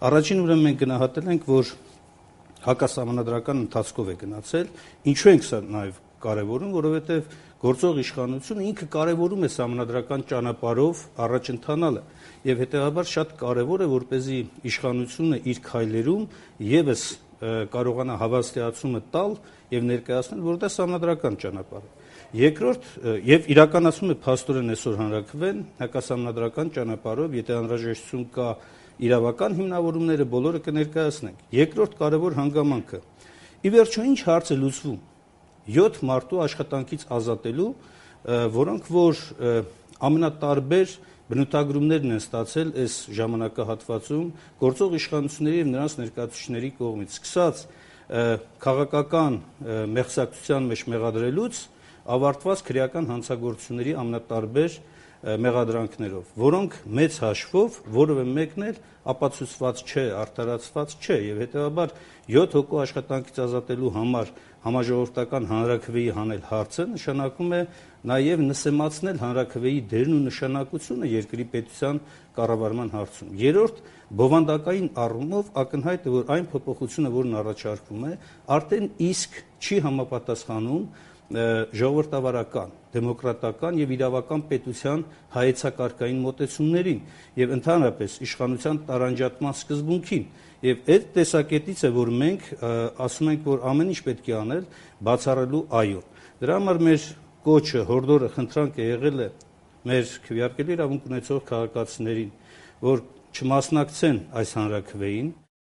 Առաջին ուրեմն մենք գնահատել ենք, որ հակասահմանադրական ընթացքով է գնացել, ինչու ենք սա նաև կարևորում, որովհետև գործող իշխանությունը ինքը կարևորում է սահմանադրական ճանապարհով առաջ ընթանալը եւ հետեւաբար շատ կարևոր է, որպեսզի իշխանությունը իր քայլերում եւս կարողանա հավաստիացումը տալ եւ ներկայացնել, որ դա սահմանադրական ճանապարհ է։ Երկրորդ, եւ իրականացում է փաստորեն այսօր հանրաքվեն հակասահմանադրական ճանապարհով, եթե անհրաժեշտություն կա իրավական հիմնավորումները բոլորը կներկայացնենք։ Երկրորդ կարևոր հանգամանքը՝ ի վերջո ինչ հարց է լուծվում 7 մարդու աշխատանքից ազատելու, որոնք որ ամենատարբեր բնութագրումներն են ստացել այս ժամանակահատվածում գործող իշխանությունների եւ նրանց ներկայացուցիչների կողմից, սկսած քաղաքական մեղսակցության մեջ մեղադրելուց ավարտված քրեական հանցագործությունների ամենատարբեր մեղադրանքներով, որոնք մեծ հաշվով որևէ մեկն էլ ապացուցված չէ, արդարացված չէ եւ հետեւաբար 7 հոգու աշխատանքից ազատելու համար համաժողովրդական հանրաքվեի հանել հարցը նշանակում է նաեւ նսեմացնել հանրաքվեի դերն ու նշանակությունը երկրի պետության կառավարման հարցում։ Երրորդ, բովանդակային առումով ակնհայտ է, որ այն փոփոխությունը, որն առաջարկվում է, արդեն իսկ չի համապատասխանում ժողովրդավարական, դեմոկրատական եւ իրավական պետության հայեցակարգային մոտեցումներին եւ ընդհանրապես իշխանության տարանջատման սկզբունքին եւ այդ տեսակետից է, որ մենք ասում ենք, որ ամեն ինչ պետք է անել բացառելու այո։ Դրա համար մեր կոչը, հորդորը, խնդրանքը եղել է մեր քվեարկելի իրավունք ունեցող քաղաքացիներին, որ չմասնակցեն այս հանրաքվեին,